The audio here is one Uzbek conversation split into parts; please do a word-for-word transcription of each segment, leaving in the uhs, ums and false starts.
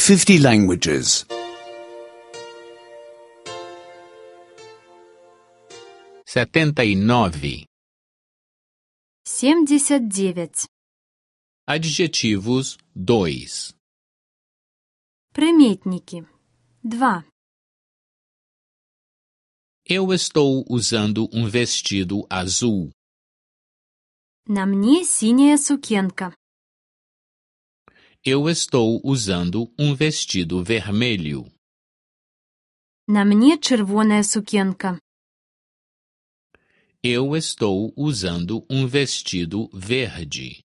fifty languages. Setenta e nove. Семьдесят девять. Adjetivos dois. Приметники. Два. Eu estou usando um vestido azul. На мне синяя сукенка. Eu estou usando um vestido vermelho. На мне червоная сукенка. Eu estou usando um vestido verde.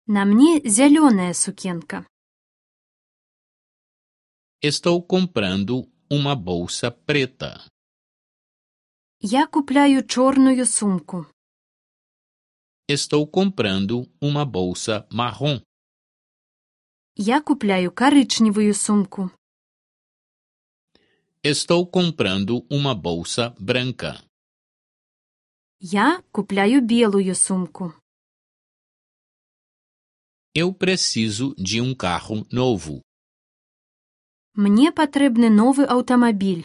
На мне зеленая сукенка. Estou comprando uma bolsa preta. Я купляю черную сумку. Estou comprando uma bolsa marrom. Я купляю коричневую сумку. Estou comprando uma bolsa branca. Я купляю белую сумку. Eu preciso de um carro novo. Мне потрібний новий автомобіль.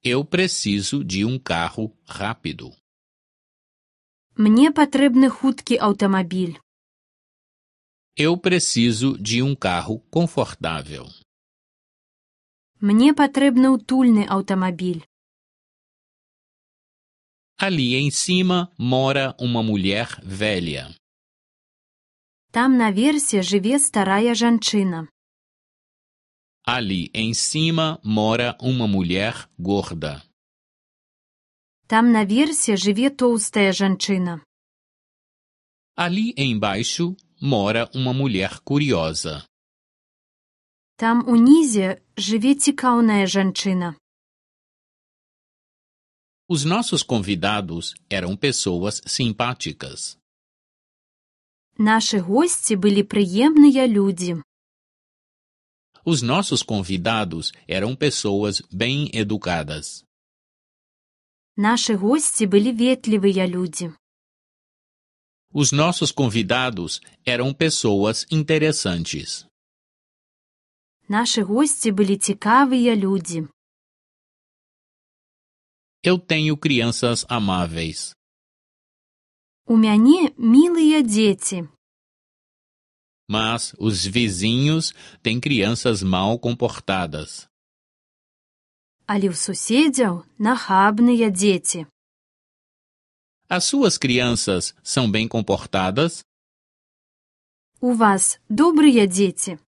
Eu preciso de um carro rápido. Мне потрібний хуткий автомобіль. Eu preciso de um carro confortável. Мне потрібний утульний автомобіль. Ali em cima mora uma mulher velha. Там наверсе живе старая жанчына. Ali em cima mora uma mulher gorda. Там наверсе живе толстая жанчына. Ali embaixo mora uma mulher curiosa. Там унізе живе цікаўная жанчына. Os nossos convidados eram pessoas simpáticas. Наши гости были прыемныя людзі. Os nossos convidados eram pessoas bem educadas. Наши гости были ветлівыя людзі. Os nossos convidados eram pessoas interessantes. Наши гости были цікавыя людзі. Eu tenho crianças amáveis. У мяне мілыя дзеці. Mas os vizinhos têm crianças mal comportadas. Але ў суседзяў нахабныя дзеці. As suas crianças são bem comportadas? У вас добрыя дзеці?